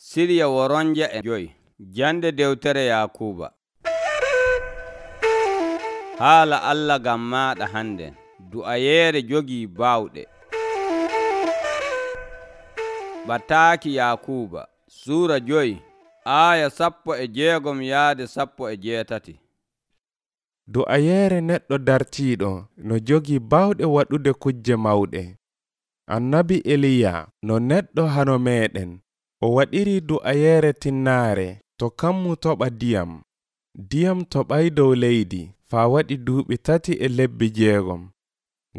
Sirya woronja e joyi. Jande dewtere Yakuba. Haala Allah gam maɗa handen. Du'ayeere jogii baawɗe. Bataaki Yakuba Suura 5 aya 16 yaade 17. Du'ayeere neɗɗo dartiiɗo no jogii baawɗe waɗude kujje mawɗe. Annabi Eliya no neɗɗo hano meeɗen, o waɗiri du'ayeere tinnaare to kammu toɓa diyam. Diyam toɓay dow leydi faa waɗi duuɓi 3.6.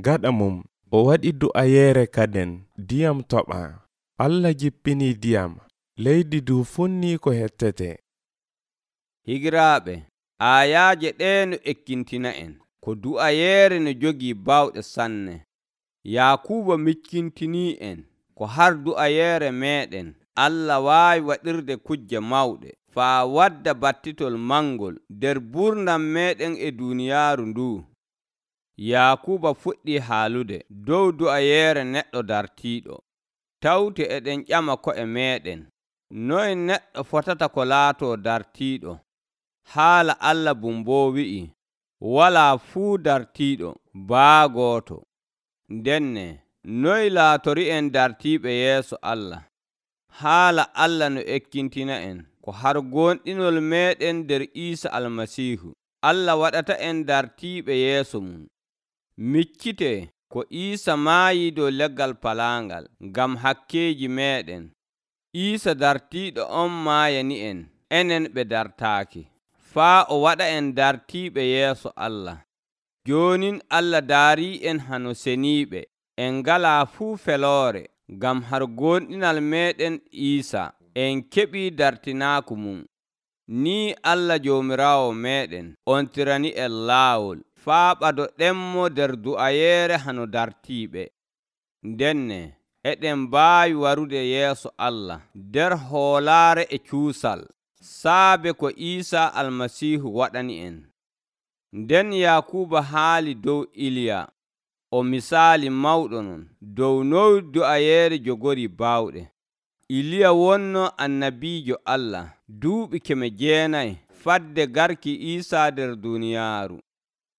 Gaɗa mum o waɗi du'ayeere kaden diyam toɓa. Allah jippinii diyam, leydi du funnii ko hettete. Higiraaɓe, aayaaje ɗee no ekkintina en ko du'ayeere no jogii baawɗe sanne. Yakuba miccintinii en ko har du'ayeere meeɗen Allah waawi waɗirde kujje mawɗe faa wadda battitol mangol nder gurdam meeɗen e duuniyaaru ndu. Yakuba fuɗɗii haalude dow du'ayeere neɗɗo dartiiɗo. Tawte eɗen ƴama ko'e meeɗen, noye neɗɗo fotata ko laatoo dartiiɗo? Haala Allah boo wi'i, walaa fuu dartiiɗo baa gooto. Ndenne noye laatori'en dartiiɓe yeeso Allah? Haala Allah no ekkintina en ko har gonɗinol meeɗen nder Iisa Almasiihu. Allah waɗata en dartiiɓe yeeso mum. Miccitee ko Iisa maayii dow leggal palaangal ngam hakkeeji meeɗen. Iisa dartiiɗo on maayani en, enen ɓe dartaaki, faa o waɗa en dartiiɓe yeeso Allah. Joonin Allah daarii en hano seniiɓe, en ngalaa fuu feloore, ngam har gonɗinal meeɗen Iisa, en keɓii dartinaaku mum. Nii Allah Joomiraawo meeɗen on tirani en laawol, faa ɓado ɗemmo nder du'ayeere hano dartiiɓe. Ndenne eɗen mbaawi warude yeeso Allah nder hoolaare e cuusal, saabe ko Iisa Almasiihu waɗani en. Nden Yakuba haali dow Iliya, o misaali mawɗo non dow noy du'ayeere jogori baawɗe. Iliya wonno annabiijo Allah duuɓi 900 fadde garki Iisa nder duuniyaaru.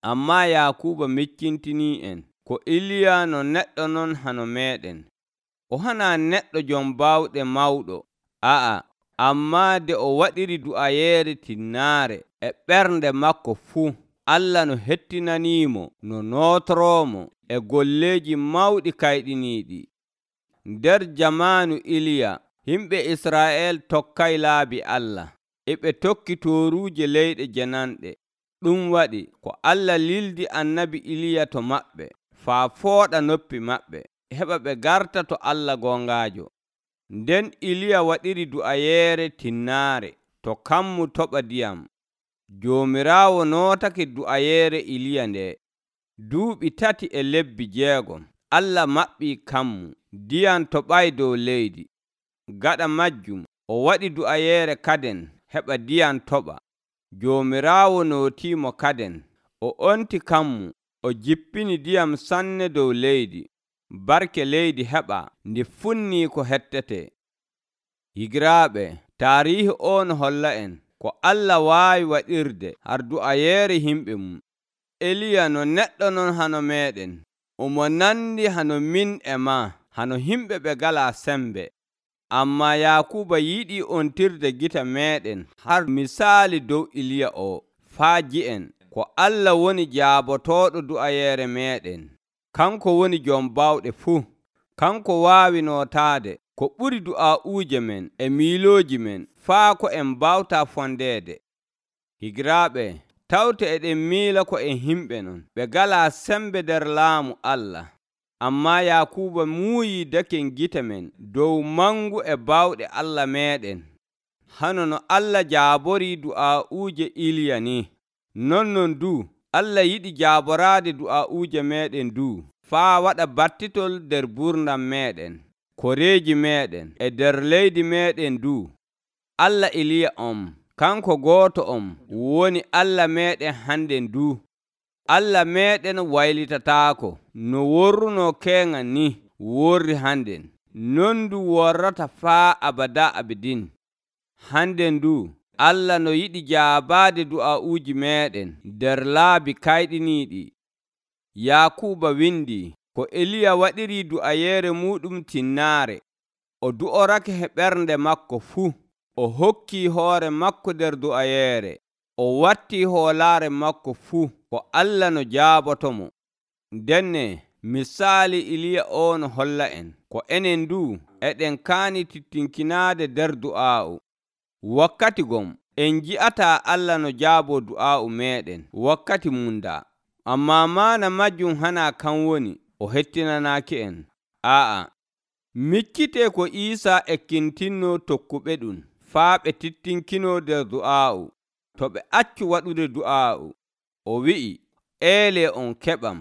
Ammaa Yakuba miccintinii en ko Iliya no neɗɗo non hano meeɗen. O hanaa neɗɗo jom baawɗe mawɗo, ammaa de o waɗiri du'ayeere tinnaare e ɓernde makko fuu, Allah no hettinaniimo no nootoroomo e golleeji mawɗi kayɗiniiɗi. Nder jamaanu Iliya, yimɓe Israa'el tokkay laabi Allah, e ɓe tokki tooruuje leyɗe jananɗe. Ɗum waɗi ko Allah lildi annabi Iliya to maɓɓe, faa fooɗa noppi maɓɓe, heɓa ɓe garta to Allah gongaajo. Nden Iliya waɗiri du'ayeere tinnaare to kammu toɓa diyam. Joomiraawo nootake du'ayeere Iliya nde. Duuɓi 3.6 Allah maɓɓii kammu, diyam toɓay dow leydi. Gaɗa majjum o waɗi du'ayeere kaden heɓa diyam toɓa. Joomiraawo nootiimo kaden, o onti kammu, o jippini diyam sanne dow leydi. Barke leydi heɓa ndi funnii ko hettete. Higiraaɓe, taariihi o no holla en ko Allah waawi waɗirde har du'ayeere himɓe mum. Eliya no neɗɗo non hano meeɗen, omo nandi hano min e maa, hano himɓe ɓe ngalaa sembe. Ammaa Yakuba yiɗii ontirde gite meeɗen har misaali dow Iliya o, faa ji'en ko Allah woni jaabotooɗo du'ayeere meeɗen. Kanko woni jom baawɗe fuu. Kanko waawi nootaade ko ɓuri du'aa'uuje men e miilooji men, faa ko en mbawtaa fondeede. Higiraaɓe, tawte eɗen miila ko en himɓe non ɓe ngalaa sembe nder laamu Allah. Ammaa Yakuba muuyi daken gite men dow mangu e baawɗe Allah meeɗen. Hano no Allah jaaborii du'aa'uuje Iliya ni, non du Allah yiɗi jaaboraade du'aa'uuje meeɗen du, faa waɗa battitol nder gurdam meeɗen, koreeji meeɗen e nder leydi meeɗen du. Allah Iliya kanko gooto woni Allah meeɗen hannden du. Allah meeɗen waylitataako no worruno keŋŋan ni worri hannden, non du worrata faa abada abidin. Hande ndu Allah no yiɗi jaabaade du'aa'uuji meeɗen nder laabi kayɗiniiɗi. Yakuuba windi ko Eliya waɗiri du'ayeere muɗum tinnaare. O du'orake he ɓernde makko fuu. O hokkii hoore makko nder du'ayeere. O wattii hoolaare makko fuu ko Allah no jaabotomo. Ndenne misaali Iliya o no holla en ko enen ndu eɗen kaani tittinkinaade nder du'aa'u. Wakkati gom en ji'ataa Allah no jaaboo du'aa'u meeɗen wakkati mundaa. Ammaa maana majjum hanaa kan woni o hettinanaaki en. Miccitee ko Iisaa ekkintinno tokkuɓe ɗum faa ɓe tittinkinoo nder du'aa'u. To ɓe accu waɗude du'aa'u, o wi'i, eelee on keɓam,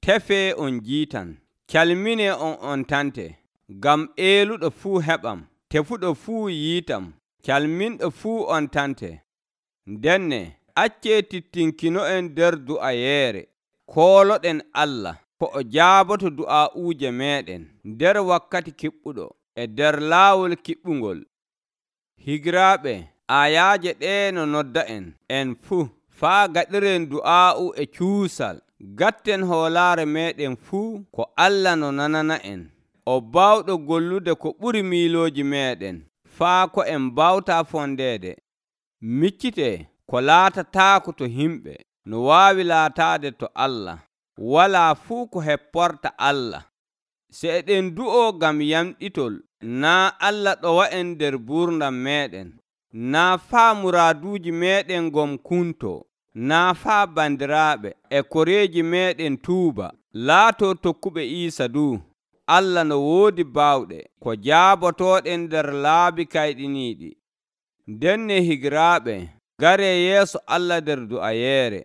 tefee on jiitan, calminee on tante. Ngam eeluɗo fuu heɓam, tefuɗo fuu yiitam, calminɗo fuu on tante. Ndenne accee tittinkino'en nder du'ayeere. Kooloɗen Allah ko o jaaboto du'aa'uuje meeɗen nder wakkati kiɓɓuɗo e nder laawol kiɓɓungol. Higiraaɓe, ayaaje ɗee no nodda en fuu faa gaɗiren du'aa'u e cuusal. Gatten hoolaare meeɗen fuu ko Allah no nanana en. O baawɗo gollude ko ɓuri miilooji meeɗen faa ko en mbawtaa fondeede. Miccitee ko laatataako to himɓe no waawi laataade to Allah. Walaa fuu ko hepporta Allah. Se eɗen du'oo ngam yamɗitol, naa Allah ɗowa'en nder buurdam meeɗen, naa faa muraaduuji meeɗen ngom kuntoo, naa faa bandiraaɓe e koreeji meeɗen tuuba. Laatoo tokkuɓe Iisa du. Allah no woodi baawɗe ko jaabotooɗen nder laabi kayɗiniiɗi. Ndenne higiraaɓe, garee yeeso Allah nder du'ayeere.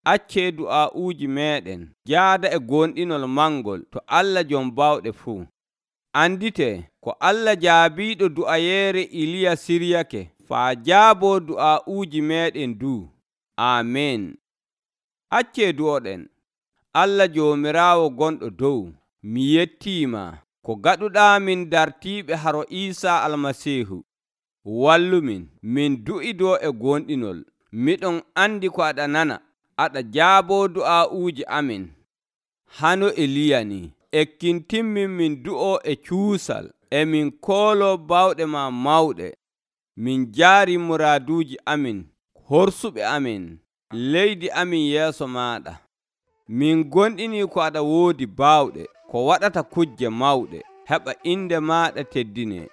Accee du'aa'uuji meeɗen jaada e gonɗinol mangol to Allah jom baawɗe fuu. Anditee ko Allah jaabiiɗo du'ayeere Iliya siryake faa jaaboo du'aa'uuji meeɗen du. Aamen. Accee du'oɗen. Allah Joomiraawo gonɗo dow, mi yettiima ko gaɗuɗaamin dartiiɓe haro Iisaa Almasiihu. Wallumin min du'idoo e gonɗinol. Miɗon andi ko aɗa nana. Aɗa jaaboo du'aa'uuji amin. Hano Eliya ni, ekkintinmin min du'oo e cuusal, e min kooloo baawɗe ma mawɗe. Min jaari muraaduuji amin, horsuɓe amin, leydi amin yeeso maaɗa. Min gonɗinii ko aɗa woodi baawɗe, ko waɗata kujje mawɗe, heɓa inde maaɗa teddinee.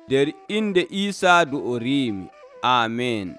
Nder inde Iisaa du'oriimi. Aamen.